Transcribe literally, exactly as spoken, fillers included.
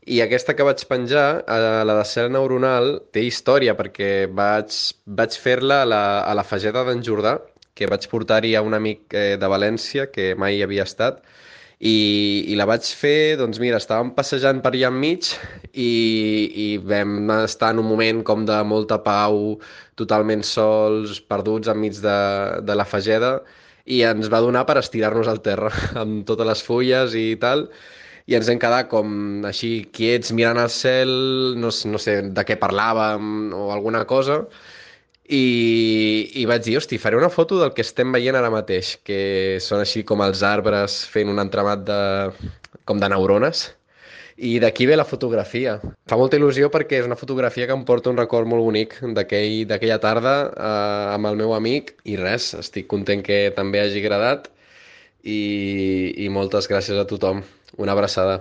I aquesta que vaig penjar, a la de cel neuronal, té història perquè vaig, vaig fer-la a la, a la Fageda d'en Jordà, que vaig portar-hi a un amic eh, de València que mai hi havia estat, i, i la vaig fer, doncs mira, estàvem passejant per allà enmig i, i vam estar en un moment com de molta pau, totalment sols, perduts enmig de, de la Fageda, i ens va donar per estirar-nos al terra amb totes les fulles i tal, i ens vam quedar com així quiets mirant al cel, no, s- no sé de què parlàvem o alguna cosa, i, i vaig dir, hosti, faré una foto del que estem veient ara mateix, que són així com els arbres fent un entramat de, com de neurones, i d'aquí ve la fotografia. Fa molta il·lusió perquè és una fotografia que em porta un record molt bonic d'aquell d'aquella tarda eh, amb el meu amic, i res, estic content que també hagi agradat, i, i moltes gràcies a tothom. Una abraçada.